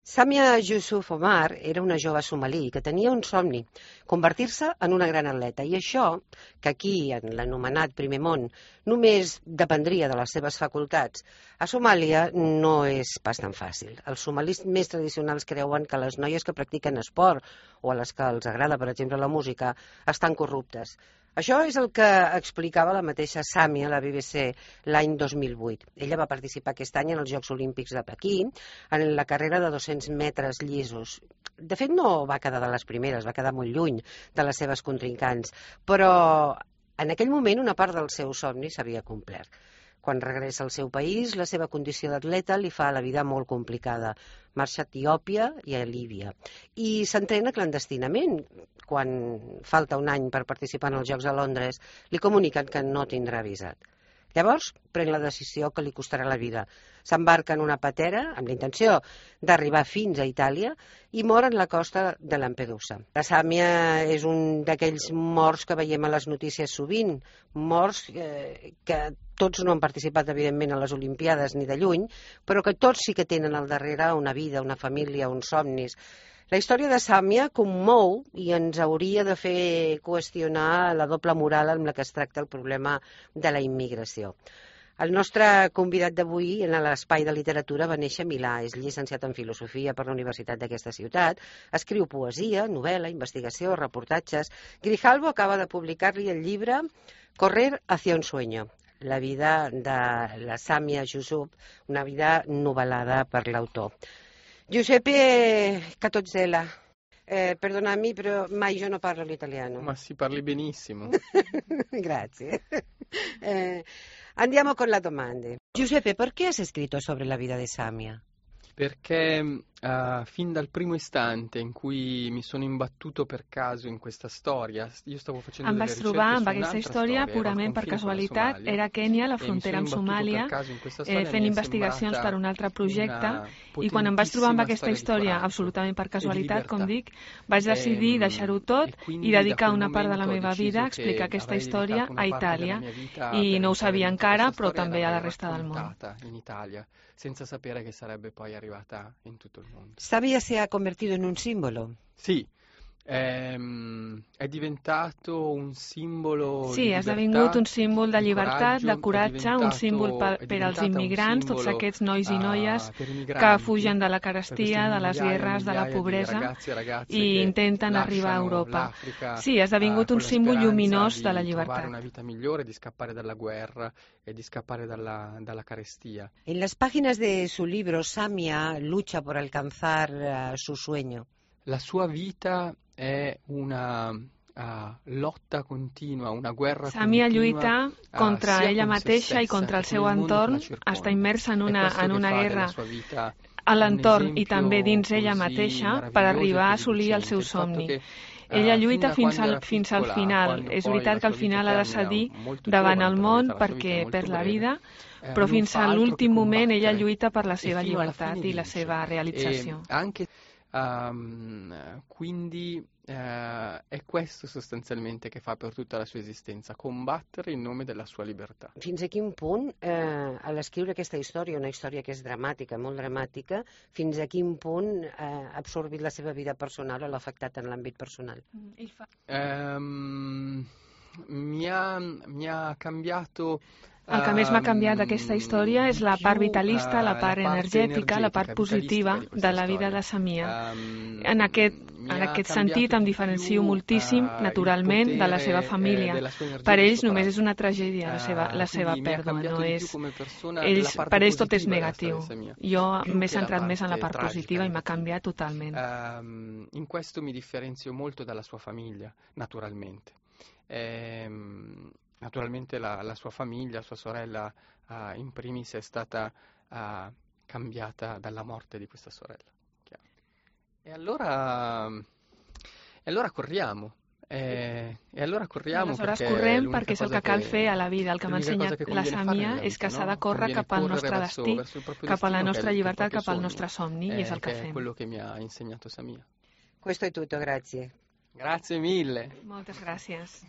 Samia Yusuf Omar era una jove somalí que tenia un somni, convertir-se en una gran atleta. I això, que aquí, en l'anomenat primer món, només dependria de les seves facultats, a Somàlia no és pas tan fàcil. Els somalis més tradicionals creuen que les noies que practiquen esport o a les que els agrada, per exemple, la música, estan corruptes. Això és el que explicava la mateixa Samia a la BBC l'any 2008. Ella va participar aquest any en els Jocs Olímpics de Pequín en la carrera de 200 metres llisos. De fet, no va quedar de les primeres, va quedar molt lluny de les seves contrincants, però en aquell moment una part del seu somni s'havia complert. Quan regressa al seu país, la seva condició d'atleta li fa la vida molt complicada. Marxa a Etiòpia i a Líbia. I s'entrena clandestinament. Quan falta un any per participar en els Jocs de Londres, li comuniquen que no tindrà visat. Llavors, pren la decisió que li costarà la vida. S'embarca en una patera amb la intenció d'arribar fins a Itàlia i mor en la costa de Lampedusa. La Sàmia és un d'aquells morts que veiem a les notícies sovint, morts que tots no han participat, evidentment, a les Olimpiades ni de lluny, però que tots sí que tenen al darrere una vida, una família, uns somnis. La història de Sàmia commou i ens hauria de fer qüestionar la doble moral amb la que es tracta el problema de la immigració. El nostre convidat d'avui en l'espai de literatura va néixer a Milà, és llicenciat en filosofia per la Universitat d'aquesta ciutat, escriu poesia, novel·la, investigació, reportatges. Grijalbo acaba de publicar-li el llibre Correr hacia un sueño, la vida de la Samia Yusuf, una vida novel·lada per l'autor. Giuseppe Catozzella, perdonami, però mai io non parlo l'italiano. Ma si parli benissimo. Grazie. Andiamo con la domanda. Giuseppe, perché hai scritto sobre la vita di Samia? Perché fin dal primo istante in cui mi sono imbattuto per caso in questa storia, io stavo facendo Em delle vaig ricerche trobar su amb aquesta un'altra història storia, ero al purament per confine con la casualitat. Somalia, Era a Kènia, la e mi frontera sono amb imbattuto Somàlia, per caso in questa storia, fent mi è investigacions per un altre projecte, sembrata i quan em vaig trobar amb una aquesta potentissima història, storia di absolutament per coraggio e di casualitat, com libertà. dic, vaig decidir deixar-ho tot E quindi i da dedicar quel una part de la momento ho meva vida a deciso explicar che aquesta avrei història dedicato a una parte della Itàlia. mia vita I per no ho entrare sabia dentro encara, questa però storia e també a la l'avrei resta del món. raccontata in Italia, senza sapere che sarebbe poi arrivata in tutto il mondo. Samia se ha convertido en un símbolo. Sì, è diventato un simbolo Sí, di ha libertà, esdevingut un símbol de di llibertat, de coratge, un símbol è per als diventata un immigrants, tots simbolo, aquests nois i noies per i que migranti, fugen de la per queste carestia, de les migliaia e guerres, de la migliaia di pobresa ragazzi e ragazze i che intenten arribar a lasciano Europa. l'Africa Sí, ha esdevingut un con la símbol speranza lluminós de la di trovare llibertat. una vita migliore, di scappare dalla guerra e di scappare dalla carestia. En las páginas de su libro, Samia lucha por alcanzar su sueño. La sua vita è una lotta continua, una guerra Samia continua lluita contra sia ella con se mateixa i stessa contra el che seu con il mondo che entorn, la circonda. està immersa en È una questo che fa della guerra sua vita a un l'entorn i esempio també dins ella così mateixa per meraviglioso e arribar a così assolir el lucente. seu Il fatto somni. che Ella fin lluita da fins quando al era piccola, final. quando És poi veritat la que al sua vita final ha de termina cedir molto davant giovane, el per la món verità, la sua vita è per molto la breve, vida, però non fins fa a altro l'últim che moment ella combattere lluita per la e seva fino alla llibertat fine i la vince. seva realització. E anche quindi è questo sostanzialmente che fa per tutta la sua esistenza, combattere in nome della sua libertà. Fins a quin punt, a l'escriure aquesta història, una història que és dramàtica, molt dramàtica, fins a quin punt ha absorbit la seva vida personal o l'ha afectat en l'àmbit personal? Mi ha cambiato. El que més m'ha canviat d'aquesta història és la part vitalista, la part energètica, la part positiva de la vida de Samia. En aquest sentit em diferencio moltíssim, naturalment, de la seva família. Per ells només és una tragèdia la seva pèrdua. Per ells tot és negatiu. Jo m'he centrat més en la part positiva i m'ha canviat totalment. In questo mi differenzio molto dalla sua famiglia, naturalmente. Naturalmente la sua famiglia, sua sorella in primis è stata cambiata dalla morte di questa sorella. Chiaro. E allora corriamo. Aleshores correm perquè és el que cal fer a la vida. El que m'ha ensenyat la Samia és que s'ha de córrer cap al nostre destí, cap a la nostra llibertat, cap al nostre somni, i és el que fem. Quello che mi ha insegnato Samia. Questo è tutto, grazie. Grazie mille. Moltes gràcies.